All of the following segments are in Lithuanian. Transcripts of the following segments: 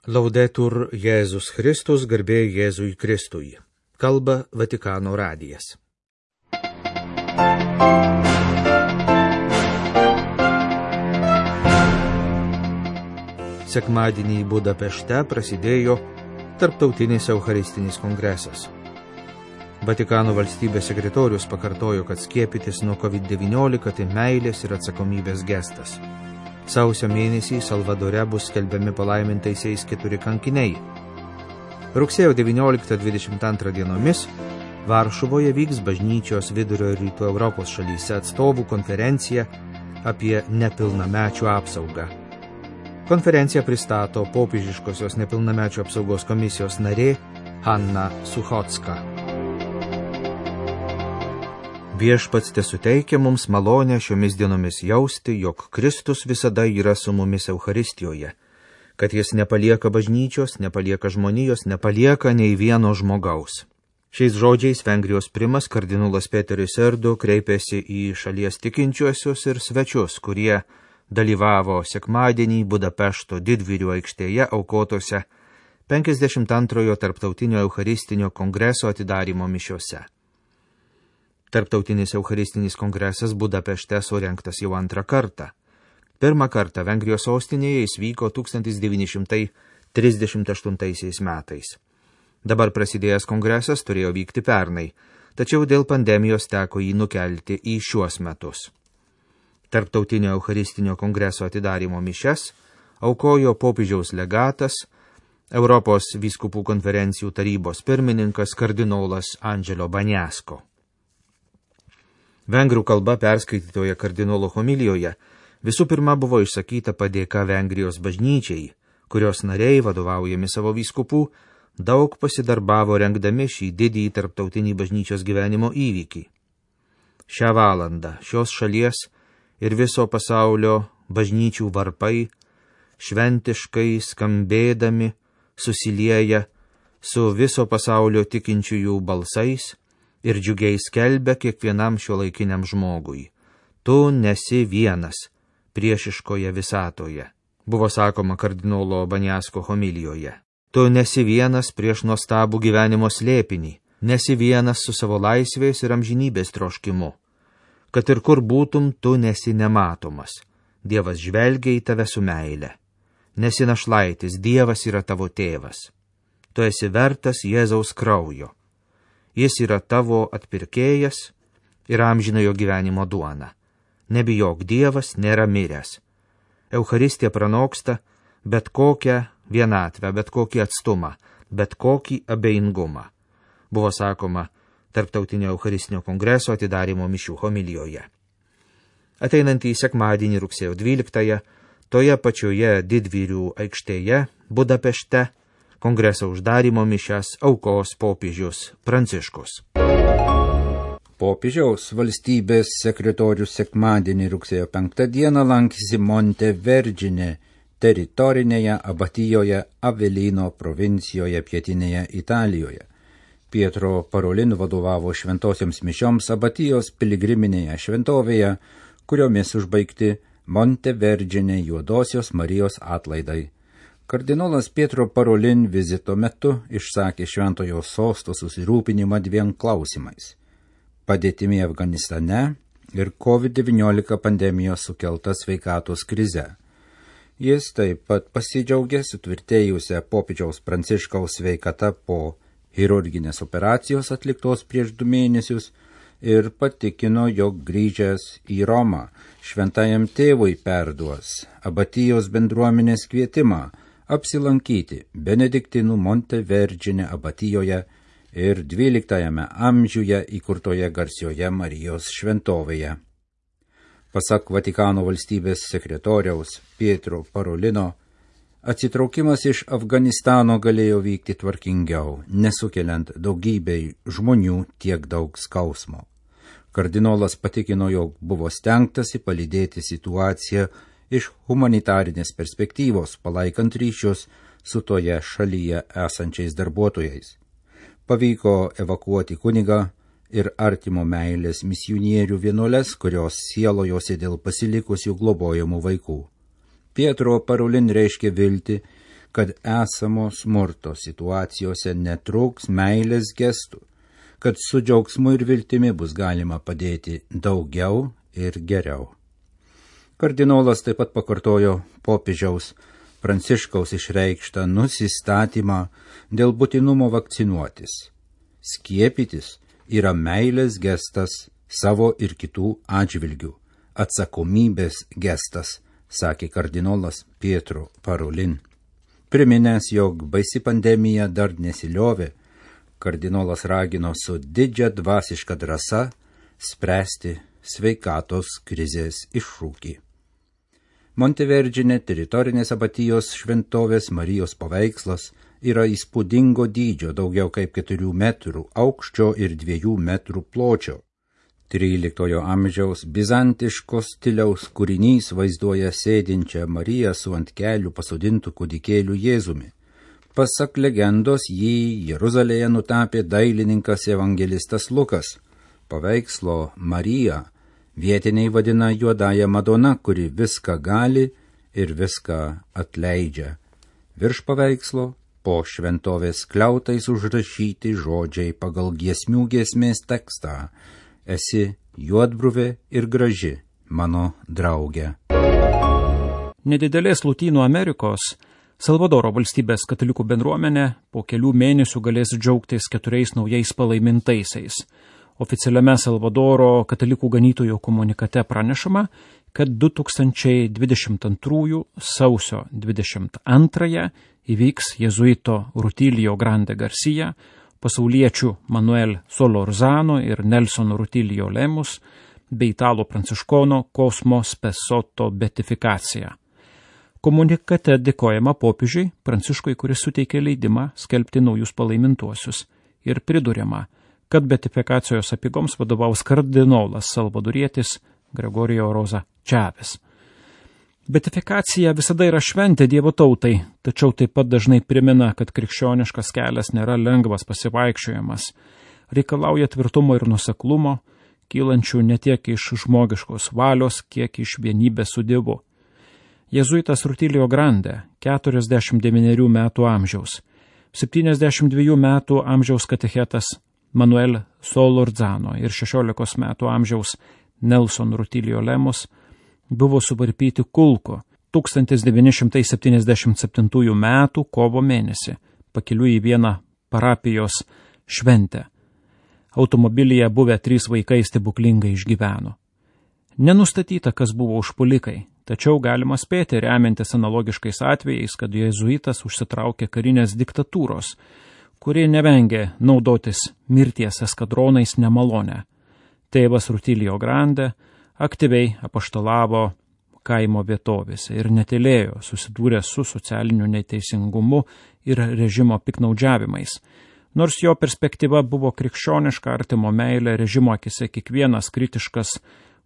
Laudetur Jėzus Kristus, garbė Jėzui Kristui. Kalba Vatikano radijas. Sekmadienį Budapešte prasidėjo Tarptautinis Eucharistinis kongresas. Vatikano valstybės sekretorius pakartojo, kad skiepytis nuo COVID-19 tai meilės ir atsakomybės gestas. Sausio mėnesį Salvadore bus skelbiami palaimintaisiais 4 kankiniai. Rugsėjo 19-22 dienomis Varšuvoje vyks bažnyčios Vidurio ir Rytų Europos šalyse atstovų konferencija apie nepilnamečių apsaugą. Konferenciją pristato popiežiškosios nepilnamečių apsaugos komisijos narė Hanna Suchocka. Viešpats tesuteikia mums malonę šiomis dienomis jausti, jog Kristus visada yra su mumis Eucharistijoje, kad jis nepalieka bažnyčios, nepalieka žmonijos, nepalieka nei vieno žmogaus. Šiais žodžiais Vengrijos primas kardinolas Peteris Erdu kreipėsi į šalies tikinčiuosius ir svečius, kurie dalyvavo sekmadienį Budapešto Didvyrių aikštėje aukotose 52 Tarptautinio Eucharistinio kongreso atidarymo mišiose. Tarptautinis Eucharistinis kongresas Budapešte surengtas jau 2 kartą. Pirmą kartą Vengrijos sostinėje jis vyko 1938 metais. Dabar prasidėjęs kongresas turėjo vykti pernai, tačiau dėl pandemijos teko jį nukelti į šiuos metus. Tarptautinio Eucharistinio kongreso atidarymo mišias aukojo popiežiaus legatas, Europos vyskupų konferencijų tarybos pirmininkas kardinolas Angelo Bagnasko. Vengrų kalba perskaitytoje kardinolo homilijoje visų pirma buvo išsakyta padėka Vengrijos bažnyčiai, kurios nariai, vadovaujami savo vyskupų, daug pasidarbavo rengdami šį didįjį tarptautinį bažnyčios gyvenimo įvykį. Šią valandą šios šalies ir viso pasaulio bažnyčių varpai šventiškai skambėdami susilieja su viso pasaulio tikinčiųjų balsais ir džiugiai skelbia kiekvienam šiuolaikiniam žmogui: tu nesi vienas priešiškoje visatoje, buvo sakoma kardinolo Bagnasko homilijoje. Tu nesi vienas prieš nuostabų gyvenimo slėpinį, nesi vienas su savo laisvės ir amžinybės troškimu. Kad ir kur būtum, tu nesi nematomas. Dievas žvelgia į tave su meile. Nesi našlaitis, Dievas yra tavo tėvas. Tu esi vertas Jėzaus kraujo. Jis yra tavo atpirkėjas ir amžinojo gyvenimo duona. Nebijok, Dievas nėra miręs. Eucharistija pranoksta bet kokią vienatvę, bet kokį atstumą, bet kokį abejingumą, buvo sakoma Tarptautinio Eucharistinio kongreso atidarymo mišių homilijoje. Ateinantį sekmadienį rugsėjo 12 toje pačioje Didvyrių aikštėje Budapešte kongreso uždarymo mišias aukos popiežius Pranciškus. Popiežiaus valstybės sekretorius sekmadienį rugsėjo 5 dieną lankėsi Monte Vergine teritorinėje abatijoje Avelino provincijoje pietinėje Italijoje. Pietro Parolin vadovavo šventosioms mišioms abatijos piligriminėje šventovėje, kuriomis užbaigti Monte Vergine Juodosios Marijos atlaidai. Kardinolas Pietro Parolin vizito metu išsakė šventojo sosto susirūpinimą 2 klausimais – padėtimi Afganistane ir COVID-19 pandemijos sukelta sveikatos krize. Jis taip pat pasidžiaugė sutvirtėjusią popiežiaus Pranciškaus sveikata po chirurginės operacijos atliktos prieš 2 mėnesius ir patikino, jog grįžęs į Romą šventajam tėvui perduos abatijos bendruomenės kvietimą apsilankyti Benediktinų Monte Vergine abatijoje ir 12 amžiuje įkurtoje garsioje Marijos šventovėje. Pasak Vatikano valstybės sekretoriaus Pietro Parolino, atsitraukimas iš Afganistano galėjo vykti tvarkingiau, nesukeliant daugybei žmonių tiek daug skausmo. Kardinolas patikino, jog buvo stengtasi palydėti situaciją iš humanitarinės perspektyvos, palaikant ryšius su toje šalyje esančiais darbuotojais. Pavyko evakuoti kunigą ir artimo meilės misionierių vienuoles, kurios sielojosi dėl pasilikusių globojamų vaikų. Pietro Parolin reiškė viltį, kad esamo smurto situacijose netrūks meilės gestų, kad su džiaugsmu ir viltimi bus galima padėti daugiau ir geriau. Kardinolas taip pat pakartojo popiežiaus Pranciškaus išreikštą nusistatymą dėl būtinumo vakcinuotis. Skiepytis yra meilės gestas savo ir kitų atžvilgių, atsakomybės gestas, sakė kardinolas Pietro Parolin. Priminęs, jog baisi pandemija dar nesiliovė, kardinolas ragino su didžia dvasiška drąsa spręsti sveikatos krizės iššūkį. Montevergine teritorinės abatijos šventovės Marijos paveikslas yra įspūdingo dydžio, daugiau kaip 4 metrų aukščio ir 2 metrų pločio. 13 amžiaus bizantiškos stiliaus kūrinys vaizduoja sėdinčią Mariją su ant kelių pasodintų kūdikėlių Jėzumi. Pasak legendos, jį Jeruzalėje nutapė dailininkas evangelistas Lukas. Paveikslo Mariją vietiniai vadina juodąja Madona, kuri viską gali ir viską atleidžia. Virš paveikslo po šventovės kliautais užrašyti žodžiai pagal giesmių giesmės tekstą: esi juodbruvė ir graži, mano draugė. Nedidelės Lotynų Amerikos Salvadoro valstybės katalikų bendruomenė po kelių mėnesių galės džiaugtis 4 naujais palaimintaisiais. Oficialiame Salvadoro katalikų ganytojų komunikate pranešama, kad 2022 sausio 22 įvyks jėzuito Rutilio Grande Garcia, pasauliečių Manuel Solorzano ir Nelson Rutilio Lemus bei italų pranciškono Cosmo Spessotto beatifikacija. Komunikate dėkojama popiežiui Pranciškui, kuris suteikė leidimą skelbti naujus palaimintuosius, ir priduriama, kad beatifikacijos apeigoms vadovaus kardinolas salvadorietis Gregorio Rosa Čaves. Beatifikacija visada yra šventė Dievo tautai, tačiau taip pat dažnai primena, kad krikščioniškas kelias nėra lengvas pasivaikščiojimas, reikalauja tvirtumo ir nuoseklumo, kylančių ne tiek iš žmogiškos valios, kiek iš vienybės su Dievu. Jėzuitas Rutilio Grande, 49 metų amžiaus, 72 metų amžiaus katechetas Manuel Solorzano ir 16 metų amžiaus Nelson Rutilio Lemus buvo suvarpyti kulko 1977 metų kovo mėnesį, pakeliui į vieną parapijos šventę. Automobilyje buvę 3 vaikai stebuklingai išgyveno. Nenustatyta, kas buvo užpuolikai, tačiau galima spėti, remiantis analogiškais atvejais, kad jėzuitas užsitraukė karinės diktatūros, kuri nevengė naudotis mirties eskadronais nemalonę. Tėvas Rutilio Grande aktyviai apaštalavo kaimo vietovėse ir netylėjo, susidūrė su socialiniu neteisingumu ir režimo piknaudžiavimais. Nors jo perspektyva buvo krikščioniška, artimo meilė, režimo akise kiekvienas kritiškas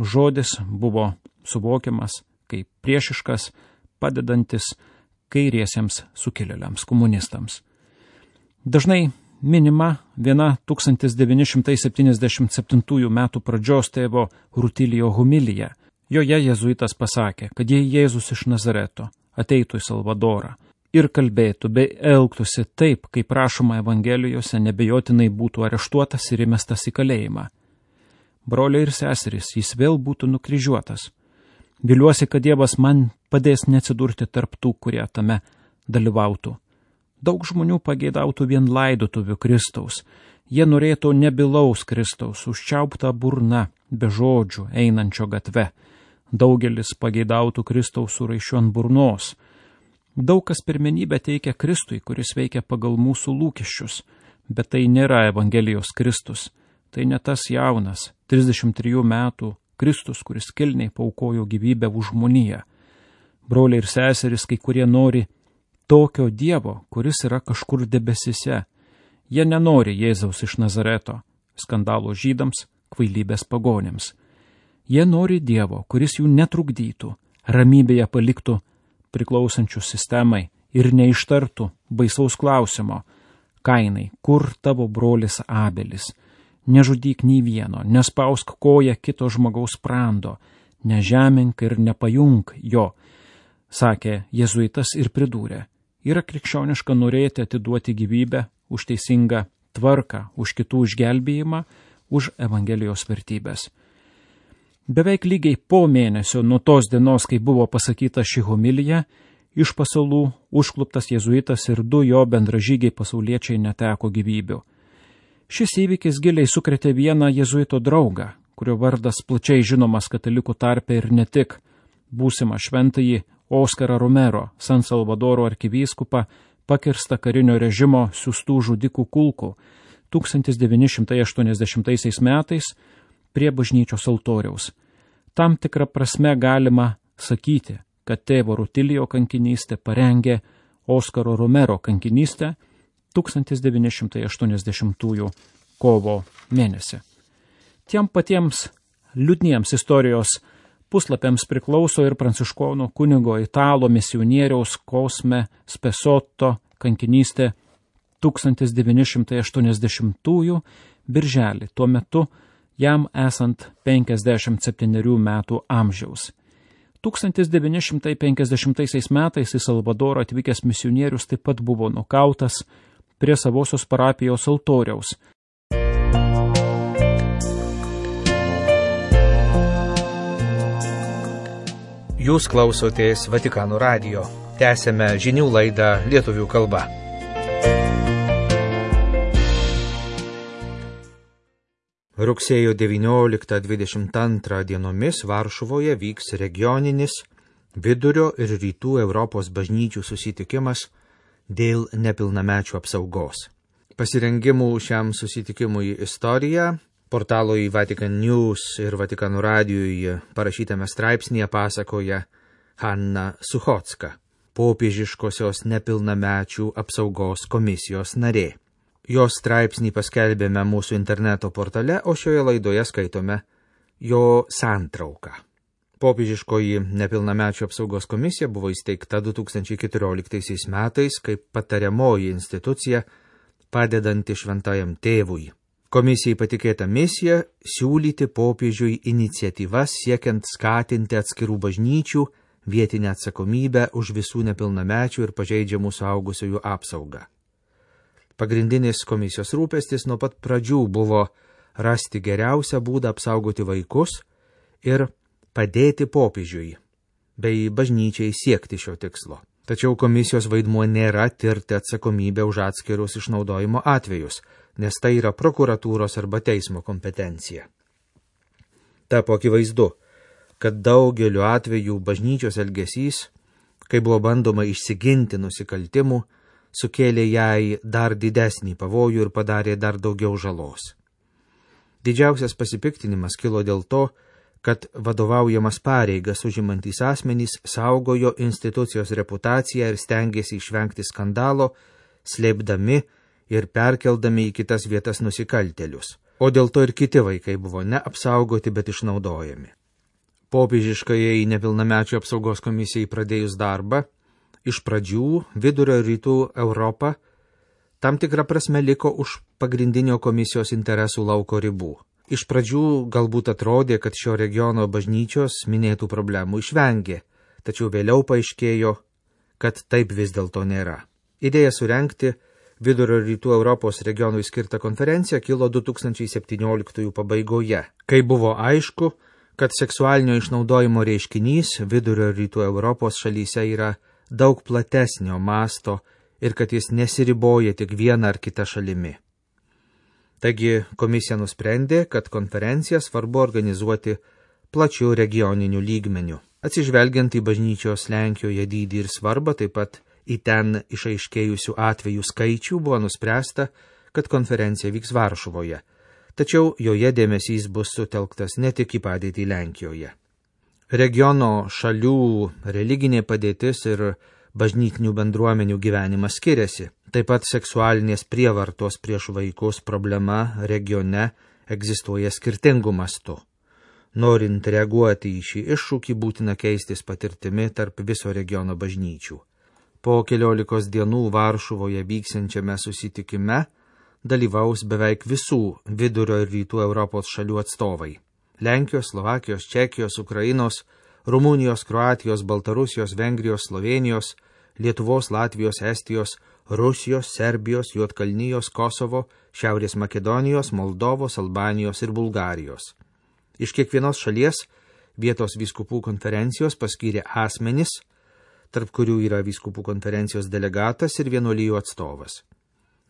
žodis buvo suvokiamas kaip priešiškas, padedantis kairiesiems sukilėliams, komunistams. Dažnai minima viena 1977 metų pradžios tėvo Rutilio homilija. Joje jėzuitas pasakė, kad jei Jėzus iš Nazareto ateitų į Salvadorą ir kalbėtų bei elgtųsi taip, kaip rašoma Evangelijose, nebejotinai būtų areštuotas ir įmestas į kalėjimą. Broliai ir seserys, jis vėl būtų nukryžiuotas. Viliuosi, kad Dievas man padės neatsidurti tarp tų, kurie tame dalyvautų. Daug žmonių pageidautų vien laidotuvių Kristaus. Jie norėtų nebylaus Kristaus, užčiauptą burną, be žodžių, einančio gatve. Daugelis pageidautų Kristaus su raiščiu ant burnos. Daug kas pirmenybę teikia Kristui, kuris veikia pagal mūsų lūkesčius, bet tai nėra Evangelijos Kristus. Tai ne tas jaunas, 33 metų Kristus, kuris kilniai paaukojo gyvybę už žmoniją. Broliai ir seserys, kai kurie nori tokio Dievo, kuris yra kažkur debesise. Jie nenori Jėzaus iš Nazareto, skandalo žydams, kvailybės pagonėms. Jie nori Dievo, kuris jų netrukdytų, ramybėje paliktų priklausančių sistemai ir neištartų baisaus klausimo: Kainai, kur tavo brolis Abelis? Nežudyk nei vieno, nespausk koją kito žmogaus sprando, nežemink ir nepajunk jo, sakė jėzuitas ir pridūrė: Yra krikščioniška norėti atiduoti gyvybę už teisingą tvarką, už kitų išgelbėjimą, už Evangelijos vertybės. Beveik lygiai po mėnesio nuo tos dienos, kai buvo pasakyta ši homilija, iš pasalų užkluptas jėzuitas ir 2 jo bendražygiai pasauliečiai neteko gyvybių. Šis įvykis giliai sukrėtė vieną jėzuito draugą, kurio vardas plačiai žinomas katalikų tarpe ir ne tik, būsimą šventąjį Oskarą Romero, San Salvadoro arkivyskupą, pakirsta karinio režimo siųstų žudikų kulkų 1980 metais prie bažnyčios altoriaus. Tam tikrą prasme galima sakyti, kad tėvo Rutilijo kankinystė parengė Oskaro Romero kankinystę 1980 kovo mėnesį. Tiem patiems liūdniems istorijos puslapiams priklauso ir pranciškonų kunigo italo misionieriaus Cosme Spesotto kankinystė 1980 birželį, tuo metu jam esant 57 metų amžiaus. 1950 metais į Salvadorą atvykęs misionierius taip pat buvo nukautas prie savosios parapijos altoriaus. Jūs klausotės Vatikano radijo. Tęsėme žinių laidą lietuvių kalba. Rugsėjo 19-22 dienomis Varšuvoje vyks regioninis Vidurio ir Rytų Europos bažnyčių susitikimas dėl nepilnamečių apsaugos. Pasirengimų šiam susitikimui istoriją portalui Vatican News ir Vatikano radijui parašytame straipsnėje pasakoja Hanna Suchocka, popiežiškosios nepilnamečių apsaugos komisijos narė. Jos straipsnį paskelbėme mūsų interneto portale, o šioje laidoje skaitome jo santrauką. Popiežiškoji nepilnamečių apsaugos komisija buvo įsteigta 2014 metais kaip patariamoji institucija padedanti šventajam tėvui. Komisijai patikėta misija siūlyti popiežiui iniciatyvas siekiant skatinti atskirų bažnyčių vietinę atsakomybę už visų nepilnamečių ir pažeidžiamų suaugusiųjų apsaugą. Pagrindinis komisijos rūpestis nuo pat pradžių buvo rasti geriausią būdą apsaugoti vaikus ir padėti popiežiui, bei bažnyčiai siekti šio tikslo. Tačiau komisijos vaidmuo nėra tirti atsakomybę už atskirus išnaudojimo atvejus, nes tai yra prokuratūros arba teismo kompetencija. Tapo akivaizdu, kad daugeliu atveju bažnyčios elgesys, kai buvo bandoma išsiginti nusikaltimų, sukėlė jai dar didesnį pavojų ir padarė dar daugiau žalos. Didžiausias pasipiktinimas kilo dėl to, kad vadovaujamas pareigas užimantys asmenys saugojo institucijos reputaciją ir stengėsi išvengti skandalo, slėpdami ir perkeldami į kitas vietas nusikaltėlius, o dėl to ir kiti vaikai buvo neapsaugoti, bet išnaudojami. Popiežiškajai nepilnamečių apsaugos komisijai pradėjus darbą, iš pradžių Vidurio ir Rytų Europa tam tikrą prasme liko už pagrindinio komisijos interesų lauko ribų. Iš pradžių galbūt atrodė, kad šio regiono bažnyčios minėtų problemų išvengė, tačiau vėliau paaiškėjo, kad taip vis dėlto nėra. Idėja surengti Vidurio ir Rytų Europos regionui skirtą konferenciją kilo 2017 pabaigoje, kai buvo aišku, kad seksualinio išnaudojimo reiškinys Vidurio ir Rytų Europos šalyse yra daug platesnio masto ir kad jis nesiriboja tik vieną ar kitą šalimi. Taigi komisija nusprendė, kad konferenciją svarbu organizuoti plačių regioninių lygmenių. Atsižvelgiant į bažnyčios Lenkijoje dydį ir svarbą, taip pat į ten išaiškėjusių atvejų skaičių, buvo nuspręsta, kad konferencija vyks Varšuvoje, tačiau joje dėmesys bus sutelktas ne tik į padėtį Lenkijoje. Regiono šalių religinė padėtis ir bažnytinių bendruomenių gyvenimas skiriasi. Taip pat seksualinės prievartos prieš vaikus problema regione egzistuoja skirtingų mastų. Norint reaguoti į šį iššūkį, būtina keistis patirtimi tarp viso regiono bažnyčių. Po 14 dienų Varšuvoje vyksiančiame susitikime dalyvaus beveik visų Vidurio ir Rytų Europos šalių atstovai. Lenkijos, Slovakijos, Čekijos, Ukrainos, Rumunijos, Kroatijos, Baltarusijos, Vengrijos, Slovenijos, Lietuvos, Latvijos, Estijos, Rusijos, Serbijos, Juodkalnijos, Kosovo, Šiaurės Makedonijos, Moldovos, Albanijos ir Bulgarijos. Iš kiekvienos šalies vietos vyskupų konferencijos paskyrė asmenis, tarp kurių yra vyskupų konferencijos delegatas ir vienuolijų atstovas.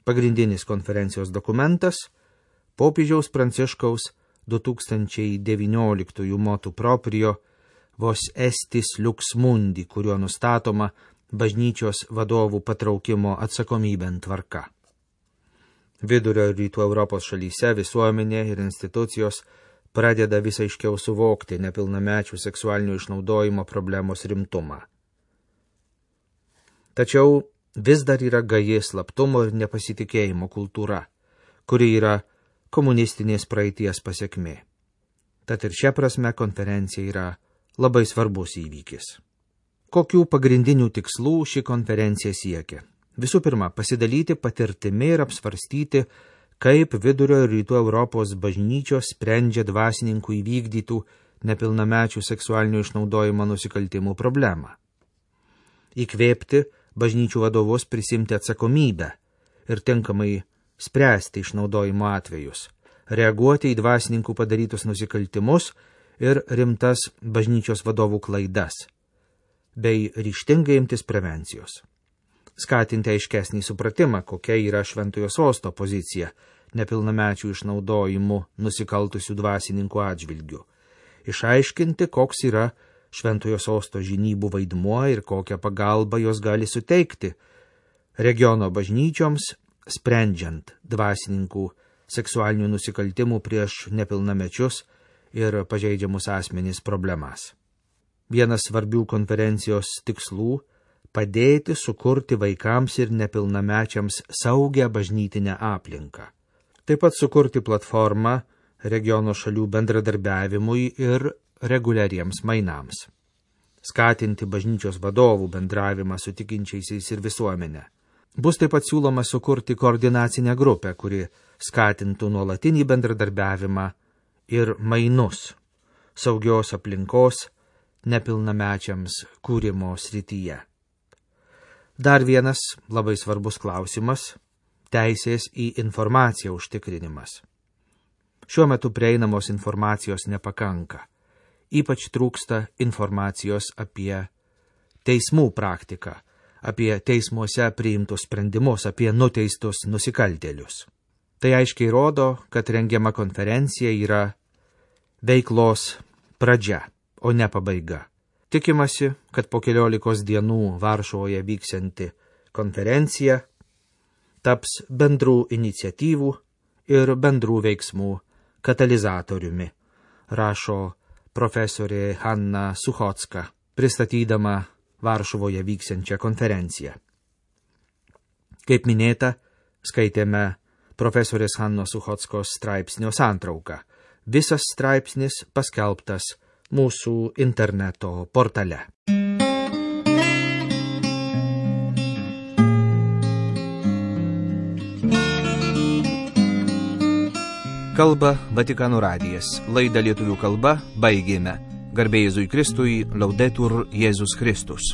Pagrindinis konferencijos dokumentas – popiežiaus Pranciškaus 2019 motu proprio vos estis lux mundi, kuriuo nustatoma bažnyčios vadovų patraukimo atsakomybėn tvarka. Vidurio ir rytų Europos šalyse visuomenė ir institucijos pradeda vis aiškiau suvokti nepilnamečių seksualinio išnaudojimo problemos rimtumą. Tačiau vis dar yra gaji slaptumo ir nepasitikėjimo kultūra, kuri yra komunistinės praeities pasekmė. Tad ir šia prasme konferencija yra labai svarbus įvykis. Kokių pagrindinių tikslų ši konferencija siekia? Visų pirma, pasidalyti patirtimi ir apsvarstyti, kaip Vidurio ir Rytų Europos bažnyčios sprendžia dvasininkų įvykdytų nepilnamečių seksualinio išnaudojimo nusikaltimų problemą. Įkvėpti bažnyčių vadovus prisimti atsakomybę ir tinkamai spręsti išnaudojimo atvejus, reaguoti į dvasininkų padarytus nusikaltimus ir rimtas bažnyčios vadovų klaidas, bei ryžtingai imtis prevencijos. Skatinti aiškesnį supratimą, kokia yra Šventojo Sosto pozicija nepilnamečių išnaudojimu nusikaltusių dvasininkų atžvilgių. Išaiškinti, koks yra Šventojo Sosto žinybų vaidmuo ir kokią pagalbą jos gali suteikti regiono bažnyčioms, sprendžiant dvasininkų seksualinių nusikaltimų prieš nepilnamečius ir pažeidžiamus asmenys problemas. Vienas svarbių konferencijos tikslų – padėti sukurti vaikams ir nepilnamečiams saugią bažnytinę aplinką. Taip pat sukurti platformą regiono šalių bendradarbiavimui ir reguliariems mainams. Skatinti bažnyčios vadovų bendravimą su tikinčiaisiais ir visuomenė. Bus taip pat siūloma sukurti koordinacinę grupę, kuri skatintų nuolatinį bendradarbiavimą ir mainus saugios aplinkos nepilnamečiams kūrimo srityje. Dar vienas labai svarbus klausimas – teisės į informaciją užtikrinimas. Šiuo metu prieinamos informacijos nepakanka. Ypač trūksta informacijos apie teismų praktiką, apie teismuose priimtus sprendimus, apie nuteistus nusikaltėlius. Tai aiškiai rodo, kad rengiama konferencija yra veiklos pradžia, o ne pabaiga. Tikimasi, kad po 14 dienų Varšuvoje vyksianti konferencija taps bendrų iniciatyvų ir bendrų veiksmų katalizatoriumi, rašo profesorė Hanna Suchocka, pristatydama Varšuvoje vyksiančią konferenciją. Kaip minėta, skaitėme profesorės Hannos Suchockos straipsnio santrauką. Visas straipsnis paskelbtas mūsų interneto portale. Kalba Vatikano radijas. Laidą lietuvių kalba baigėme. Garbė Jėzui Kristui, Laudetur Jėzus Kristus.